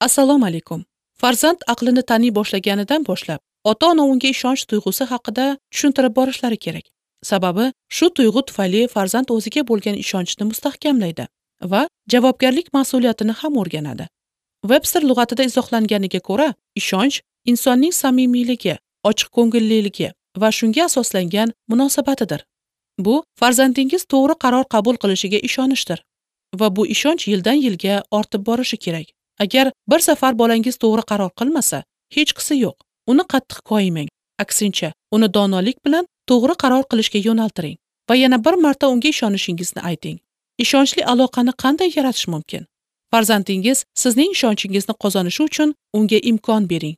Assalomu alaykum. Farzand aqlini taniy boshlaganidan boshlab, ota-ona unga ishonch tuyg'usi haqida tushuntirib borishlari kerak. Sababi, shu tuyg'u tufayli farzand o'ziga bo'lgan ishonchni mustahkamlaydi va javobgarlik mas'uliyatini ham o'rganadi. Webster lug'atida izohlanganiga ko'ra, ishonch insonning samimiyligi, ochiq ko'ngilliligi va shunga asoslangan munosabatidir. Bu farzandingiz to'g'ri qaror qabul qilishiga ishonishdir va bu ishonch yildan yilga ortib borishi kerak. Agar bir safar bolangiz to'g'ri qaror qilmasa, hechqisi yo'q. Uni qattiq koyimang. Aksincha, uni donolik bilan to'g'ri qaror qilishga yo'naltiring va yana bir marta unga ishonishingizni ayting. Ishonchli aloqani qanday yaratish mumkin? Farzandingiz sizning ishonchingizni qozonishi uchun unga imkon bering.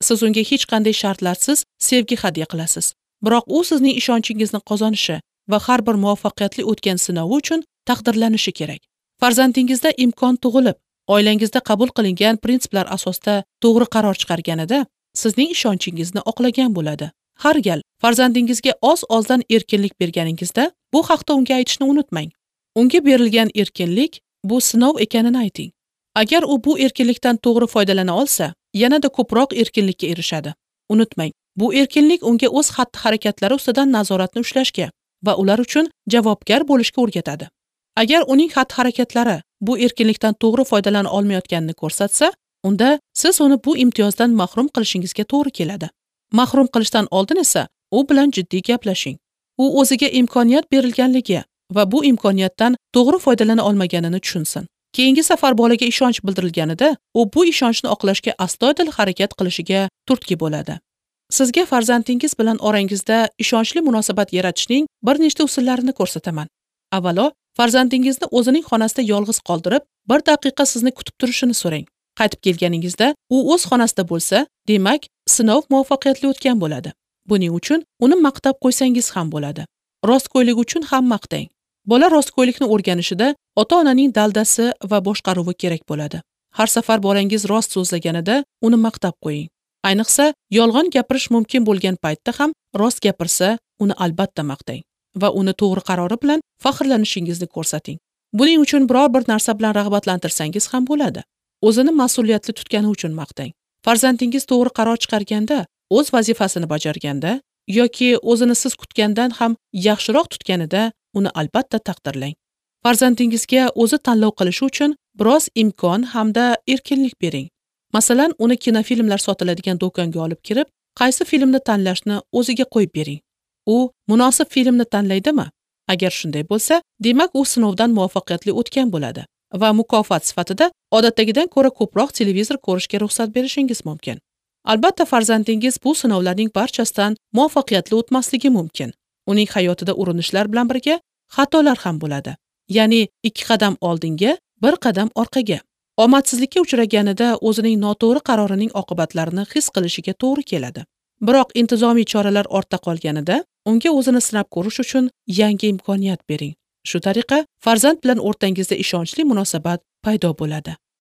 Siz unga hech qanday shartlarsiz sevgi hadya qilasiz. Biroq u sizning ishonchingizni qozonishi va har bir muvaffaqiyatli o'tgan sinovi uchun taqdirlanishi kerak. Farzandingizda imkon tug'ilib, oilangizda qabul qilingan prinsiplar asosida to'g'ri qaror chiqarganida sizning ishonchingizni oqlagan bo'ladi. Har gal farzandingizga oz-ozdan erkinlik berganingizda bu haqda unga aytishni unutmang. Unga berilgan erkinlik bu sinov ekanini ayting. Agar u bu erkinlikdan to'g'ri foydalana olsa, yanada ko'proq erkinlikka erishadi. Unutmang, bu erkinlik unga o'z xatti-harakatlari ustidan nazoratni ushlashga va ular uchun javobgar bo'lishga o'rgatadi. Agar uning xatti-harakatlari bu erkinlikdan to'g'ri foydalana olmayotganini ko'rsatsa, unda siz uni bu imtiyozdan mahrum qilishingizga to'g'ri keladi. Mahrum qilishdan oldin esa u bilan jiddiy gaplashing. U o'ziga imkoniyat berilganligi va bu imkoniyatdan to'g'ri foydalana olmaganini tushunsin. Keyingi safar bolaga ishonch bildirilganida, u bu ishonchni oqlashga astoydil harakat qilishiga turtki bo'ladi. Sizga farzandingiz bilan orangizda ishonchli munosabat yaratishning bir nechta usullarini ko'rsataman. Avvalo, farzandingizni o'zining xonasida yolg'iz qoldirib, bir daqiqa sizni kutib turishini so'rang. Qaytib kelganingizda u o'z xonasida bo'lsa, demak, sinov muvaffaqiyatli o'tgan bo'ladi. Buning uchun uni maqtab qo'ysangiz ham bo'ladi. Rostgo'ylik uchun ham maqtang. Bola rostgo'ylikni o'rganishida ota-onaning daldasi va boshqaruvi kerak bo'ladi. Har safar bolangiz rost so'zlaganida uni maqtab qo'ying. Ayniqsa, yolg'on gapirish mumkin bo'lgan paytda ham rost gapirsa, uni albatta maqtang va uni to'g'ri qarori bilan faxrlanishingizni ko'rsating. Buning uchun biror bir narsa bilan rag'batlantirsangiz ham bo'ladi. O'zini mas'uliyatli tutgani uchun maqtang. Farzandingiz to'g'ri qaror chiqarganda, o'z vazifasini bajarganda yoki o'zini siz kutgandan ham yaxshiroq tutganida uni albatta taqdirlang. Farzandingizga o'zi tanlov qilishi uchun biroz imkon hamda erkinlik bering. Masalan, uni kinofilmlar sotiladigan do'konga olib kirib, qaysi filmni tanlashni o'ziga qo'yib bering. U munosib filmni tanlaydimi? Agar shunday bo'lsa, demak u sinovdan muvaffaqiyatli o'tgan bo'ladi va mukofot sifatida odatdagidan ko'ra ko'proq televizor ko'rishga ruxsat berishingiz mumkin. Albatta, farzandingiz bu sinovlarning barchasidan muvaffaqiyatli o'tmasligi mumkin. Uning hayotida urinishlar bilan birga xatolar ham bo'ladi. Ya'ni 2 qadam oldinga, 1 qadam orqaga. Omadsizlikka uchraganida o'zining noto'g'ri qarorining oqibatlarini his qilishiga to'g'ri keladi. Biroq intizomiy choralar ortda qolganida unga o'zini sinab ko'rish uchun yangi imkoniyat bering. Shu tariqa farzand bilan o'rtangizda ishonchli munosabat paydo bo'ladi.